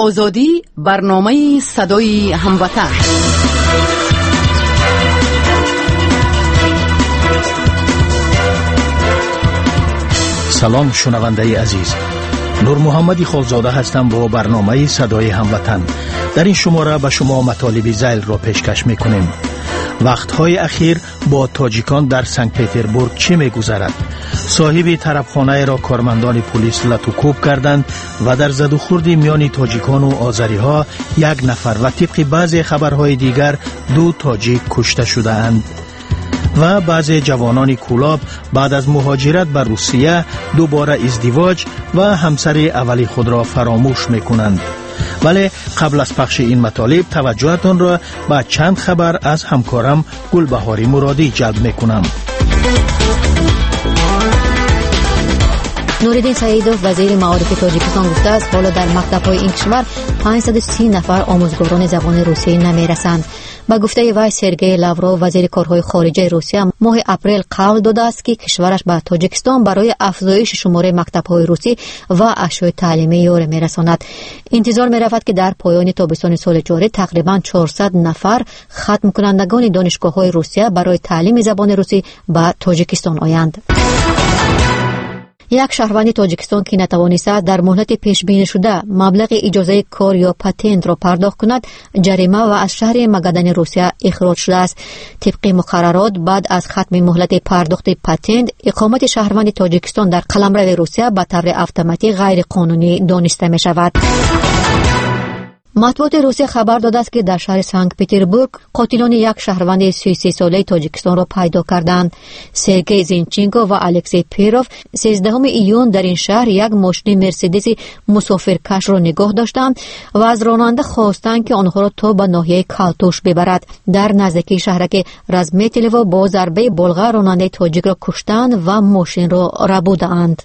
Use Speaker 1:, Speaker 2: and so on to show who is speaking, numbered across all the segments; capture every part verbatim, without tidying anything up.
Speaker 1: Озодӣ, барномаи садои ҳамватан.
Speaker 2: Салом, шунавандаи азиз. Нурмуҳаммади Холзода ҳастам бо барномаи садои ҳамватан. Дар ин шумора ба шумо матолиби зайлро пешкаш мекунем. Вақтҳои ахир бо тоҷикон дар Санкт-Петербург чӣ мегузарад? Соҳиби тарабхонаеро кормандони пулис латукӯб карданд ва дар задухӯрди миёни тоҷикону озариҳо як нафар ва тибқи баъзе хабарҳои дигар ду тоҷик кушта шудаанд. Ва баъзе ҷавонони Кӯлоб баъд аз муҳоҷират ба Русия дубора издивоҷ ва ҳамсари аввали худро фаромӯш мекунанд. Вале қабл аз пахши ин матолиб таваҷҷӯҳатонро ба чанд хабар аз ҳамкорам Гулбаҳори Муродӣ ҷалб мекунам.
Speaker 3: Нуриддин Саидов, вазири маорифи Тоҷикистон, гуфтааст, ҳоло дар мактабҳои ин кишвар панҷсаду си нафар омӯзгорони забони русӣ намерасанд. Ба гуфтаи вай, Сергей Лавров, вазири корҳои хориҷаи Русия, моҳи апрел қавл додааст, ки кишвараш ба Тоҷикистон барои афзоиши шумораи мактабҳои русӣ ва ашёи таълимӣ ёрӣ мерасонад. Интизор меравад, ки дар поёни тобистони соли ҷорӣ тақрибан чорсад нафар хатмкунандагони донишгоҳҳои Русия барои таълими забони русӣ ба Тоҷикистон оянд. Як шаҳрванди Тоҷикистон, ки натавонистааст дар муҳлати пешбинишуда маблағи иҷозаи кор ё патентро пардохт кунад, ҷарима ва аз шаҳри Магадани Русия ихроҷ шудааст. Тибқи муқаррарот, баъд аз хатми муҳлати пардохти патент, иқомати шаҳрванди Тоҷикистон дар қаламрави Русия ба таври автоматӣ ғайриқонунӣ дониста мешавад. Матбуоти Русия хабар додааст, ки дар шаҳри Санкт-Петербург қотилони як шаҳрванди сию сесолаи Тоҷикистонро пайдо карданд. Сергей Зинченко ва Алексей Перов сездаҳуми июн дар ин шаҳр як мошини Мерседеси мусофиркашро нигоҳ доштанд ва аз ронанда хостанд, ки онҳоро то ба ноҳияи Калтуш бибарад. Дар наздикии шаҳраки Разметелево бо зарбаи болға ронандаи тоҷикро куштанд ва мошинро рабудаанд.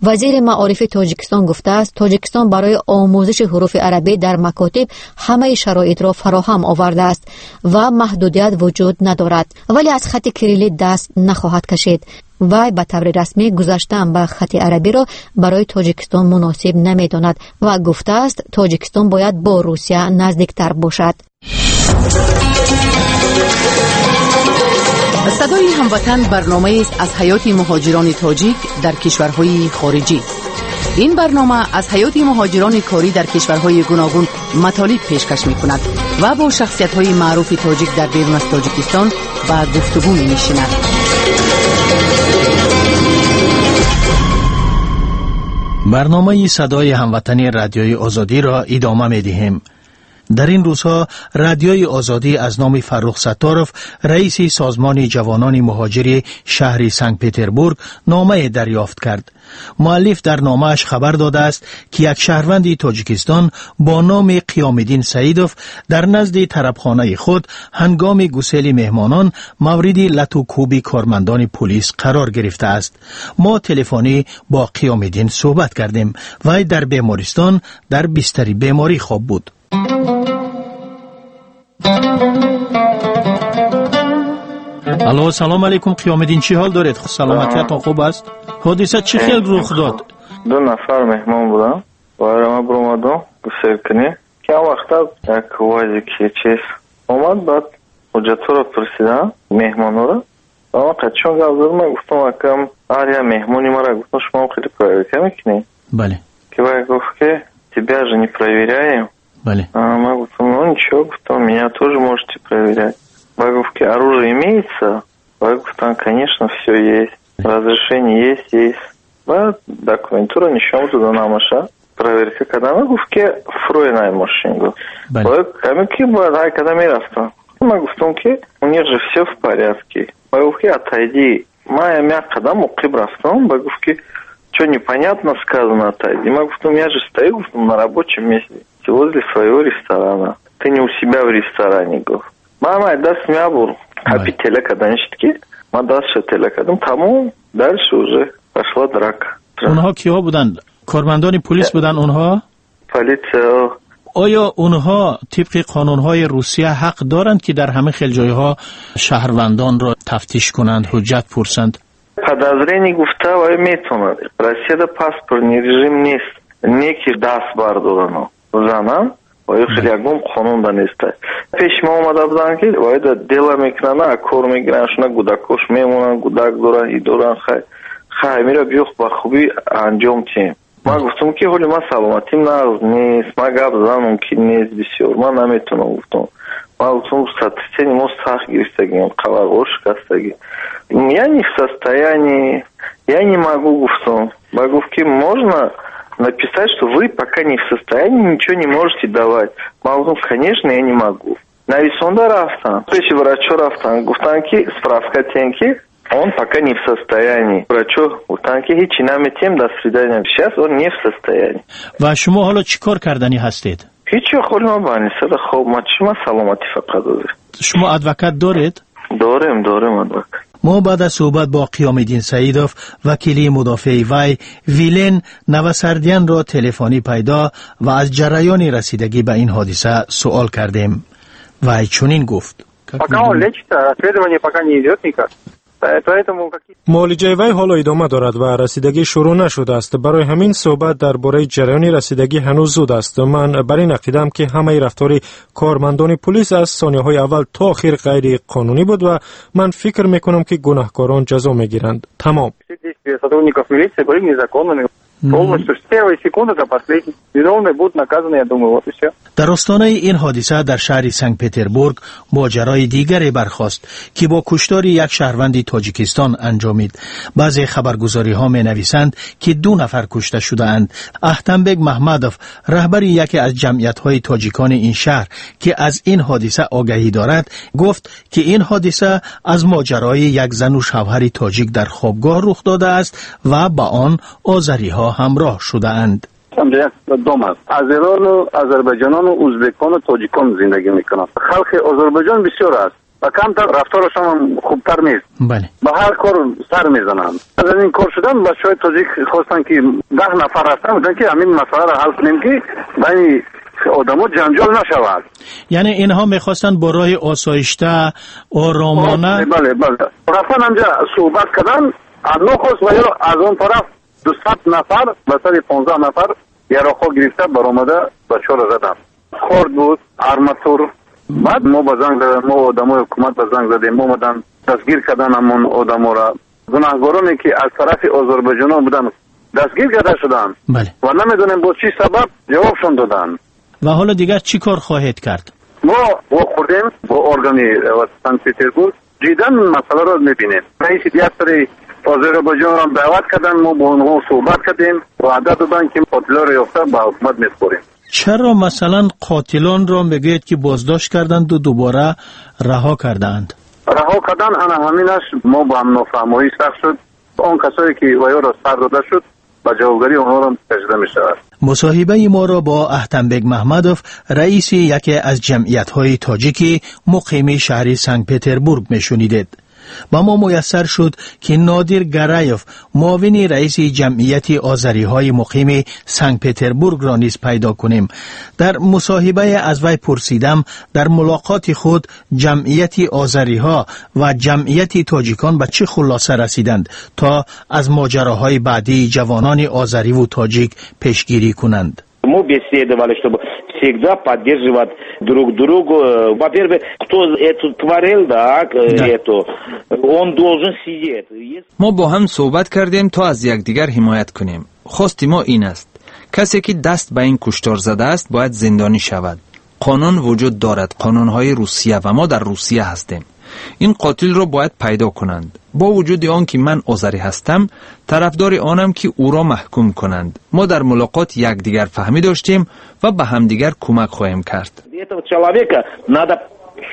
Speaker 3: Вазири маорифи Тоҷикистон гуфтааст, Тоҷикистон барои омӯзиши ҳуруфи арабӣ дар макотиб ҳамаи шароитро фароҳам овардааст ва маҳдудият вуҷуд надорад, вале аз хати кириллӣ даст нахоҳад кашид. Вай ба таври расмӣ гузаштан ба хати арабиро барои Тоҷикистон муносиб намедонад ва гуфтааст, Тоҷикистон бояд бо Русия наздиктар бошад.
Speaker 1: Садои ҳамватан барномаест аз ҳаёти муҳоҷирони тоҷик дар кишварҳои хориҷӣ. Ин барнома аз ҳаёти муҳоҷирони корӣ дар кишварҳои гуногун матолиб пешкаш мекунад ва бо шахсиятҳои маъруфи тоҷик дар берун аз Тоҷикистон ба гуфтугӯ менишинад.
Speaker 2: Барномаи садои ҳамватани Радиои Озодиро идома медиҳем. Дар ин рӯзҳо Радиои Озодӣ аз номи Фаррух Сатторов, раиси созмони ҷавонони муҳоҷири шаҳри Санкт-Петербург, номае дарёфт кард. Муаллиф дар номааш хабар додааст, ки як шаҳрванди Тоҷикистон бо номи Қиёмиддин Саидов дар назди тарабхонаи худ ҳангоми гусели меҳмонон мавриди латукӯби кормандони пулис қарор гирифтааст. Мо телефонӣ бо Қиёмиддин суҳбат кардем. Вай дар бемористон дар бистари беморӣ хоб буд. Алло, салом алейкум, Қиёмиддин, чӣ ҳол доред? Саломатиятон хуб аст? Ҳодиса чӣ хел рух дод?
Speaker 4: Ду нафар меҳмон будам, вайрама биромадам гусел кунӣ. Кам вақта як УАЗики чиз омад, баъд ҳуҷҷатҳоро пурсидам меҳмонҳоро. Ва ман қачон гап задам, ман гуфтам, акам ҳар як меҳмони мара гуфтам, шумо хеле проверка мекунӣ?
Speaker 2: Бале.
Speaker 4: Ки вай гуфт, ки тебя же не проверяем.
Speaker 2: Бале.
Speaker 4: Ман гуфтам, ну ничего, гуфтам, меня тоже можете проверять. Вай гуфт, ки оружие имеется? Вай гуфтам, конечно, все есть. Разрешение есть, есть. Баъд документуро нишон дода намаша. Проверка кардам, гуфт, ки фрой най мошин гуфт. Вай ками ки бояд ҳай када мерафтам. Ман гуфтам, ки у них же все в порядке. Вай гуфт, ки отойди. Ман як қадам уқиб рафтам, вай гуфт, ки что непонятно сказано, отойди. Ман гуфтам, я же стою, гуфтам, на рабочем месте, возле своего ресторана. Ты не у себя в ресторане, гуфт. Мама, даст мябур. Апи телека даништ ки, ма дастша телека дам. Тамом, дальше уже пошла драка.
Speaker 2: Онҳо киҳо буданд? Кормандони пулис буданд онҳо?
Speaker 4: Полиция.
Speaker 2: Оё онҳо тибқи қонунҳои Русия ҳақ доранд, ки дар ҳама хел ҷойҳо шаҳрвандонро тафтиш кунанд, ҳуҷҷат пурсанд?
Speaker 4: Подозрение гуфта вай метавонад. Россияда паспортный режим нест. Не ки даст бардорану занан, ва ё хеле ягон қонун да неста. Пеш ма омада буданд, ки вайда дела мекунанд, кор мегиранд, шуна гудакош мемонанд, гудак доранд, и доранд, хай хай мира биё ба хубӣ анҷом тиҳем. Ман гуфтам, ки ҳоли ман саломатим нағз нест, ман гап задан мумкин нест бисёр, ман наметавонам, гуфтам. Ман гуфтам, сотрясение мозг сахт гирифтагиам, қабарғо шикастагӣ. Я не в состоянии, я не могу, гуфтам. Ба гуфт, ки можно написать, что вы пока не в состоянии, ничего не можете давать. Ман гуфтам, конечно, я не могу. Нависонда рафтам. Пеши врачо рафтам. Гуфтам, ки справка тем, ки он пока не в состоянии. Врачо гуфтам, ки ҳичи наметем, до свидания. Сейчас он не в состоянии.
Speaker 2: Ва шумо ҳоло чӣ кор карданӣ ҳастед?
Speaker 4: Ҳичи, холи ман больницада хоб, ман чӣ, ман саломатӣ фақат ҳозир.
Speaker 2: Шумо адвокат доред?
Speaker 4: Дорем, дорем адвокат.
Speaker 2: Мо баъд аз суҳбат бо Қиёмиддин Саидов, вакили мудофеи вай Вилен Навасардиянро телефонӣ пайдо ва аз ҷараёни расидагӣ ба ин ҳодиса суол кардем. Вай чунин гуфт.
Speaker 5: Пока он лечится, расследование пока не идет никак.
Speaker 6: Муолиҷаи вай ҳоло идома дорад ва расидагӣ шурӯъ нашудааст. Барои ҳамин суҳбат дар бораи ҷараёни расидагӣ ҳанӯз зуд аст. Ман бар ин ақидаам, ки ҳамаи рафтори кормандони пулис аз сонияҳои аввал то охир ғайриқонунӣ буд ва ман фикр мекунам, ки гунаҳкорон ҷазо мегиранд. Тамом.
Speaker 5: Сотрудников милиции были незаконными. Полностью с первой секунды до последней. Виновные будут наказаны, я думаю, вот и все.
Speaker 2: Дар остонаи ин ҳодиса дар шаҳри Санкт-Петербург моҷарои дигаре бархост, ки бо куштори як шаҳрванди Тоҷикистон анҷомид. Баъзе хабаргузориҳо менависанд, ки ду нафар кушта шудаанд. Аҳтамбек Маҳмадов, раҳбари яке аз ҷамъиятҳои тоҷикони ин шаҳр, ки аз ин ҳодиса огаҳӣ дорад, гуфт, ки ин ҳодиса аз моҷарои як зану шавҳари тоҷик дар хобгоҳ рух додааст ва ба он озариҳо ҳамроҳ шудаанд.
Speaker 7: Як дом аст, азерону озарбойҷонону узбекону тоҷикон зиндагӣ мекунанд. Халқи Озарбойҷон бисёр аст ва камтар рафторашон ҳам хубтар нест.
Speaker 2: Бале.
Speaker 7: Ба ҳар кор сар мезананд. Аз ин кор шудан бачаҳои тоҷик хостанд, ки даҳ нафар ҳастанд, гуфтанд, ки ҳамин масъаларо ҳал кунем, ки байни одамо ҷанҷол нашавад.
Speaker 2: Яъне инҳо мехостанд бо роҳи осоишта, оромона.
Speaker 7: Бале, бале, рафтан ҳамҷа суҳбат кардан, нохост ва ё аз он тараф дусад нафар ба сари понздаҳ нафар яроқҳо гирифта баромада бачаҳоро заданд. Корд буд, арматур. Баъд мо ба занг задем, мо одамои ҳукумат ба занг задем, омадан, дастгир кардан ҳамон одаморо. Гунаҳгороне, ки аз тарафи озарбойҷонон буданд, дастгир карда шуданд ва намедонем бо чӣ сабаб ҷавобшон доданд.
Speaker 2: Ва ҳоло дигар чӣ кор хоҳед кард?
Speaker 7: Мо вохӯрдем бо органи Санкт-Петербург, ҷиддан масъаларо мебинем. Раиси диаспораи Озарбойҷонро даъват карданд, мо бо онҳо суҳбат кардем, ваъда доданд, ки қотилоро ёфта ба ҳукумат месупорем.
Speaker 2: Чаро масалан қотилонро мегӯед, ки боздошт карданду дубора раҳо кардаанд?
Speaker 7: Раҳо кардан, ана ҳаминаш мо ба ҳам нофаҳмоӣ сахт шуд. Он касое, ки ваёро сар дода шуд, ба ҷавобгарии онҳоро кашида мешавад.
Speaker 2: Мусоҳибаи моро бо Аҳтамбек Маҳмадов, раиси яке аз ҷамъиятҳои тоҷики муқими шаҳри Санкт-Петербург мешунидед. Ба мо муяссар шуд, ки Нодир Гараев, муовини раиси ҷамъияти озариҳои муқими Санкт-Петербургро низ пайдо кунем. Дар мусоҳибае аз вай пурсидам, дар мулоқоти худ ҷамъияти озариҳо ва ҷамъияти тоҷикон ба чӣ хулоса расиданд, то аз моҷароҳои баъдии ҷавонони озариву тоҷик пешгирӣ кунанд.
Speaker 8: Мы беседовали, чтобы всегда поддерживать друг другу. Во-первых, кто это творил, да, да, это, он должен сидеть.
Speaker 9: Мо бо ҳам суҳбат кардем, то аз якдигар ҳимоят кунем. Хости мо ин аст: касе ки даст ба ин куштор задааст, бояд зиндонӣ шавад. Қонун вуҷуд дорад, қонунҳои Русия, ва мо дар Русия ҳастем. Ин қотилро бояд пайдо кунанд. Бо вуҷуди он ки ман озарӣ ҳастам, тарафдори онам, ки ӯро маҳкум кунанд. Мо дар мулоқот якдигарфаҳмӣ доштем ва ба ҳамдигар кӯмак хоҳем кард.
Speaker 8: Этого человека надо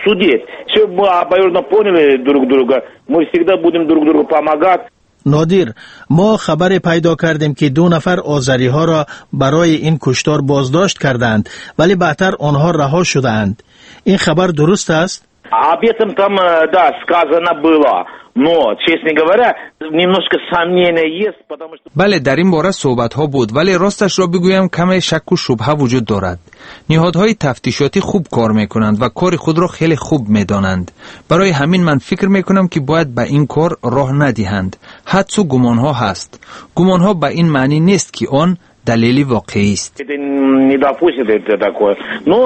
Speaker 8: судить. Все мы обоюдно поняли друг друга, мы всегда будем друг другу помогать.
Speaker 2: Нодир, мо хабаре пайдо кардем, ки ду нафар озариҳоро барои ин куштор боздошт кардаанд, вале баъдтар онҳо раҳо шудаанд. Ин хабар дуруст аст?
Speaker 8: Об этом там, да, сказано было. Но, честно говоря, немножко сомнения есть, потому что.
Speaker 9: Бале, дар ин бора суҳбатҳо буд, вале росташро бигӯям, каме шакку шубҳа вуҷуд дорад. Ниҳодҳои тафтишотӣ хуб кор мекунанд ва кори худро хеле хуб медонанд. Барои ҳамин ман фикр мекунам, ки бояд ба ин кор роҳ надиҳанд. Ҳадсу гумонҳо ҳаст. Гумонҳо ба ин маънӣ нест, ки он далели воқеӣ аст.
Speaker 8: Не допустит это такое. Но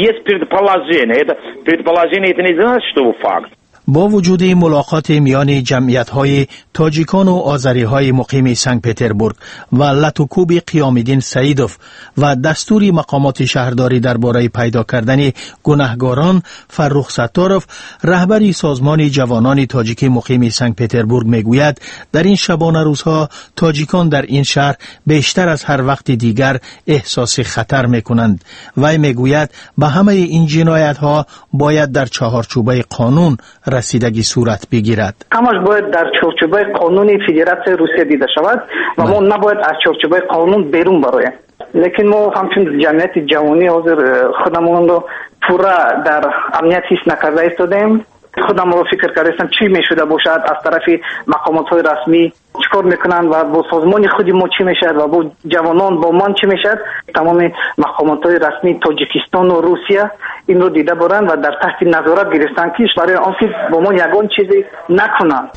Speaker 8: есть предположение. Это предположение, это не значит, что факт.
Speaker 2: با وجود ملاقات میان جمعیت‌های تاجیکان و آذری‌های مقیم سنت پترزبورگ و لتوکوب قیام‌الدین سعیدوف و دستور مقامات شهرداری درباره پیدا کردن گناهگاران، فرخ ستاروف رهبر سازمان جوانان تاجیکی مقیم سنت پترزبورگ میگوید در این شبانه روزها تاجیکان در این شهر بیشتر از هر وقت دیگر احساس خطر میکنند. وی میگوید به همه این جنایت‌ها باید در چهارچوبه قانون رسیدگی صورت بگیرد.
Speaker 10: همش باید در چارچوبه قانون فدراسیون روسیه دیده شود و ما نباید از چارچوبه قانون بیرون برویم. لیکن ما همچون جمعیت جوانی حاضر خودمون رو پورا در امنیت حس نکرده ایستادیم. خودم رو فکر کردم چی میشده باشد از طرف مقامات های رسمی چیکار میکنن و با سازمان خودی ما چی میشد و با جوانان با من چی میشد. تمام مقامات های رسمی تاجیکستان و روسیه این رو دیده برن و در تحت نظارت گرفتن که برای آنکه با ما یگان چیزی نکنن.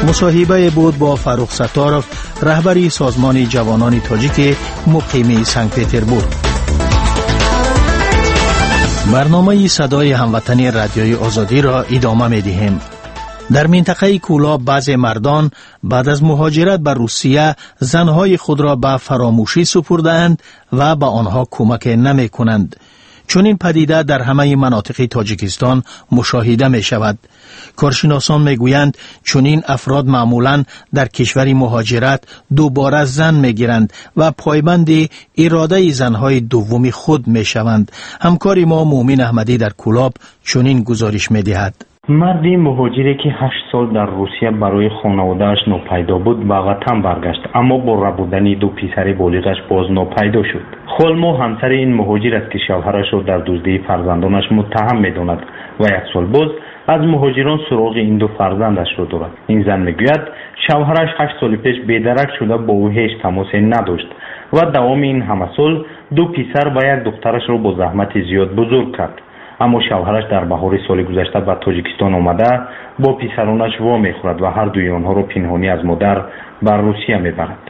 Speaker 2: مصاحبه بود با فرخ ستاروف رهبری سازمان جوانان تاجیک مقیم سنت پترزبورگ. برنامه صدای هموطنی رادیوی آزادی را ادامه می دهیم. در منطقه کولاب بعض مردان بعد از مهاجرت به روسیه زنهای خود را به فراموشی سپردند و به آنها کمک نمی کنند. چون این پدیده در همه مناطق تاجیکستان مشاهده می شود. کارشناسان می گویند چون این افراد معمولاً در کشور مهاجرت دوباره زن می گیرند و پایبند اراده زنهای دوم خود می شوند. همکار ما مومن احمدی در کولاب چنین گزارش می دهد.
Speaker 11: марди муҳоҷире ки ҳашт сол дар Русия барои хонаводааш нопайдо буд, ба ватан баргашт, аммо бо рабудани ду писари болиғаш боз нопайдо шуд. Холмо ҳамсари ин муҳоҷир аст, ки шавҳарашро дар дуздии фарзандонаш муттаҳам медонад ва як сол боз аз муҳоҷирон суроғи ин ду фарзандашро дорад. Ин зан мегӯяд, шавҳараш ҳашт соли пеш бедарак шуда бо ӯ ҳеҷ тамосе надошт ва давоми ин ҳама сол ду писар ва як духтарашро бо заҳмати зиёд бузург кард. Аммо шавҳараш дар баҳори соли гузашта ба Тоҷикистон омада бо писаронаш во мехӯрад ва ҳар дуи онҳоро пинҳонӣ аз модар ба Русия мебарад.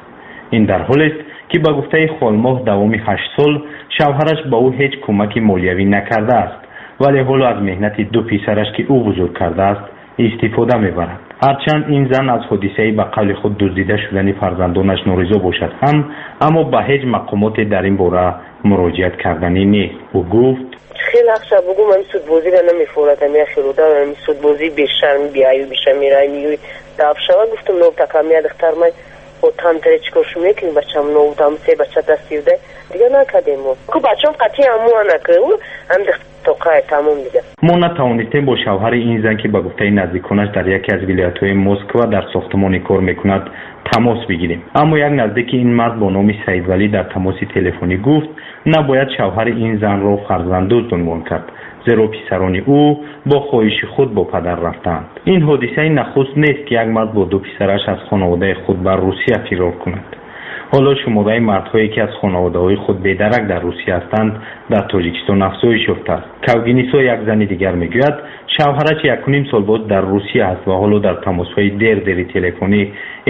Speaker 11: Ин дар ҳолест, ки ба гуфтаи Холмоҳ давоми ҳашт сол шавҳараш ба ӯ ҳеҷ кӯмаки молиявӣ накардааст, вале ҳоло аз меҳнати ду писараш, ки ӯ бузург кардааст, истифода мебарад. Ҳарчанд ин зан аз ҳодисаи ба қавли худ дуздида шудани фарзандонаш норизо бошад ҳам, аммо ба ҳеҷ мақомоте дар ин бора муроҷиат карданӣ нест. Ӯ гуфт:
Speaker 12: хеле ақша бугум, ами судбозиро намефорад, ами ахируда, ами судбозӣ бешарм, биаю бешамира, ами даф шава. Гуфтам нов такам я духтар май отам таре чикор шу мекунӣ, бачам нов там се бача дастивда дига накардем мо. Ку бачам қатъи аму анаку, ам тоқай тамом дига.
Speaker 11: Мо натавонистем бо шавҳари ин зан, ки ба гуфтаи наздиконаш дар яке аз вилоятҳои Москва дар сохтмони кор мекунад, тамос бигирем. Аммо як наздики ин мард бо номи Саидвалӣ дар тамоси телефонӣ гуфт, набояд шавҳари ин занро фарзанддузд унвон кард, зеро писарони ӯ бо хоҳиши худ бо падар рафтаанд. Ин ҳодисаи нахуст нест, ки як мард бо ду писараш аз хонаводаи худ ба Русия фирор кунад. Ҳоло шумораи мардҳое, ки аз хонаводаҳои худ бедарак дар Русия ҳастанд, дар Тоҷикистон афзоиш ёфтааст. Кавгинисо як зани дигар мегӯяд, шавҳараш якуним сол боз дар Русия аст ва ҳоло дар тамосҳои дер-дери телефонӣ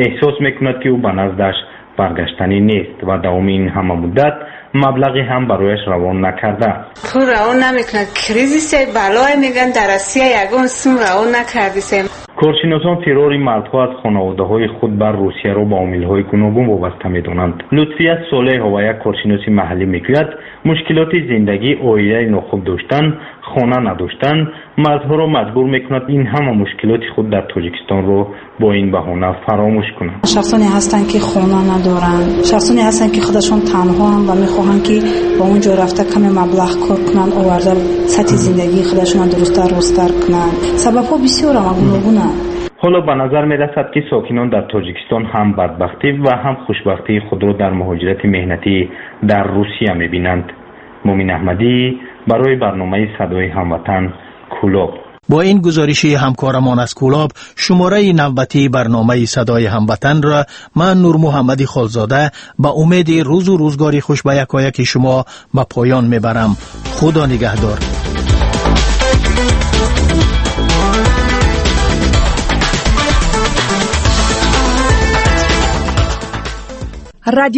Speaker 11: эҳсос мекунад, ки ӯ ба наздаш баргаштанӣ нест ва давоми ин ҳама муддат маблағе ҳам барояш равон накардааст.
Speaker 13: Пул равон намекунад, кризисе балое мегӯянд, дар Россия ягон сум равон накардисем.
Speaker 11: Коршиносон фирори мардҳо аз хонаводаҳои худ бар Русияро ба омилҳои гуногун вобаста медонанд. Лутфия Солеҳова, як коршиноси маҳаллӣ, мегӯяд, мушкилоти зиндагӣ, оилаи нохуб доштан, хона надоштан мардҳоро маҷбур мекунад ин ҳама мушкилоти худ дар Тоҷикистонро бо ин баҳона фаромӯш кунанд.
Speaker 14: Шахсоне ҳастанд, ки хона надоранд, шахсоне ҳастанд, ки худашон танҳоанд ва мехоҳанд, ки ба он ҷо рафта каме маблағ кор кунанд, оварда сатҳи зиндагии худашонро дурусттар росттар кунанд. Сабабҳо бисёранд ва гуногунанд.
Speaker 11: Ҳоло ба назар мерасад, ки сокинон дар Тоҷикистон ҳам бадбахтӣ ва ҳам хушбахтии худро дар муҳоҷирати меҳнатӣ дар Русия мебинанд. Мумин Аҳмадӣ барои барномаи Садои ҳамватан, Кулоб.
Speaker 2: Бо ин гузориши ҳамкорамон аз Кулоб, шумораи навбатии барномаи Садои ҳамватанро ман Нурмуҳаммади Холзода ба умеди рӯзу рӯзгори хуш ба якояки шумо ба поён мебарам. Худо нигаҳдор.
Speaker 1: Радио.